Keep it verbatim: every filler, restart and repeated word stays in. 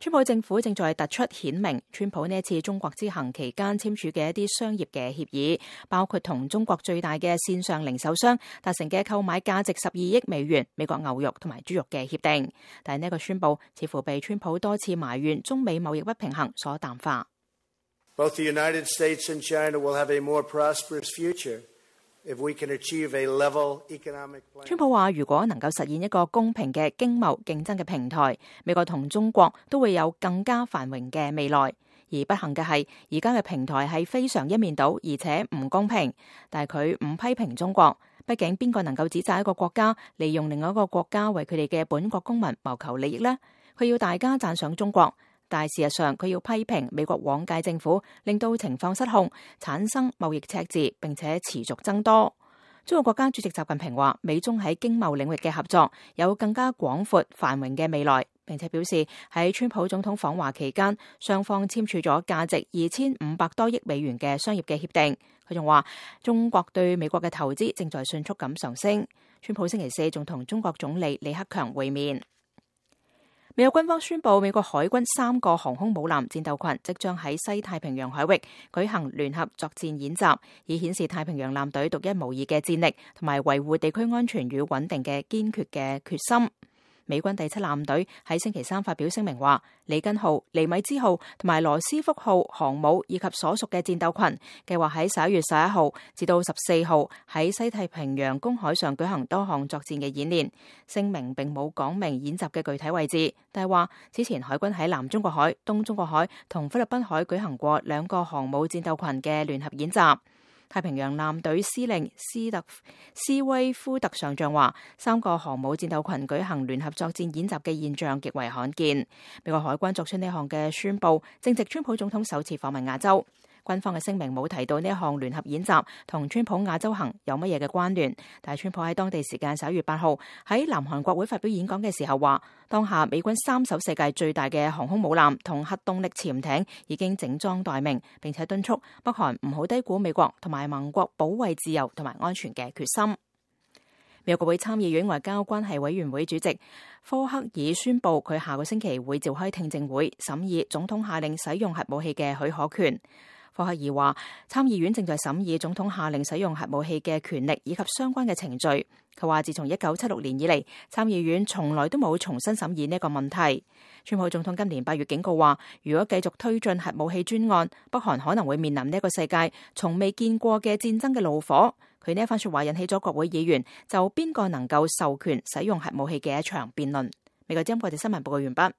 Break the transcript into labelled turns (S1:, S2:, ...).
S1: 川普政府正在突出顯明，川普呢一次中國之行期間簽署嘅一啲商業嘅協議，包括同中國最大嘅線上零售商達成嘅購買價值十二億美元美國牛肉同埋豬肉嘅協定。但係呢個宣佈似乎被川普多次埋怨中美貿易不平衡所淡化。
S2: Both the United States and China will have a more prosperous future if we can achieve a level economic plan.
S1: 川普話，如果能夠實現一個公平嘅經貿競爭嘅平台，美國同中國都會有更加繁榮嘅未來。而不幸嘅係，而家嘅平台係非常一面倒，而且唔公平。但係佢唔批評中國，畢竟邊個能夠指責一個國家利用另外一個國家為佢哋嘅本國公民謀求利益呢？佢要大家讚賞中國，但係事實上佢要批評美國往屆政府，令到情況失控，產生貿易赤字，並且持續增多。中國國家主席習近平話，美中喺經貿領域嘅合作有更加廣闊繁榮嘅未來，並且表示喺川普總統訪華期間，雙方簽署咗價值二千五百多億美元嘅商業嘅協定。佢仲話，中國對美國嘅投資正在迅速咁上升。川普星期四仲同中國總理李克強會面。美國軍方宣布，美國海軍三個航空母艦戰鬥群即將喺西太平洋海域舉行聯合作戰演習，以顯示太平洋艦隊獨一無二嘅戰力同埋維護地區安全與穩定嘅堅決嘅決心。美軍第七艦隊喺星期三發表聲明話，里根號、尼米茲號同埋羅斯福號航母以及所屬嘅戰鬥群計劃喺十一月十一號至到十四號喺西太平洋公海上舉行多項作戰嘅演練。聲明並冇講明演習嘅具體位置，但係話此前海軍喺南中國海、東中國海同菲律賓海舉行過兩個航母戰鬥群嘅聯合演習。太平洋艦隊司令斯特斯威夫特上將話，三個航母戰鬥群舉行聯合作戰演習嘅現象極為罕見。美國海軍作出呢項嘅宣佈，正值川普總統首次訪問亞洲。軍方嘅聲明冇提到呢一項聯合演習同川普亞洲行有乜嘢嘅關聯，但係川普喺當地時間十一月八號喺南韓國會發表演講嘅時候話，當下美軍三艘世界最大嘅航空母艦同核動力潛艇已經整裝待命，並且敦促北韓唔好低估美國同埋盟國保衛自由同埋安全嘅決心。美國國會參議院外交關係委員會主席科克爾宣布，佢下個星期會召開聽證會審議總統下令使用核武器嘅許可權。科克爾話，參議院正在審議總統下令使用核武器嘅權力以及相關嘅程序。佢話，自從一九七六年以嚟，參議院從來都冇重新審議呢個問題。川普總統今年八月警告話，如果繼續推進核武器專案，北韓可能會面臨呢一個世界從未見過嘅戰爭嘅怒火。佢呢一番說話引起咗國會議員就邊個能夠授權使用核武器嘅一場辯論。美國之音國際新聞報告完畢。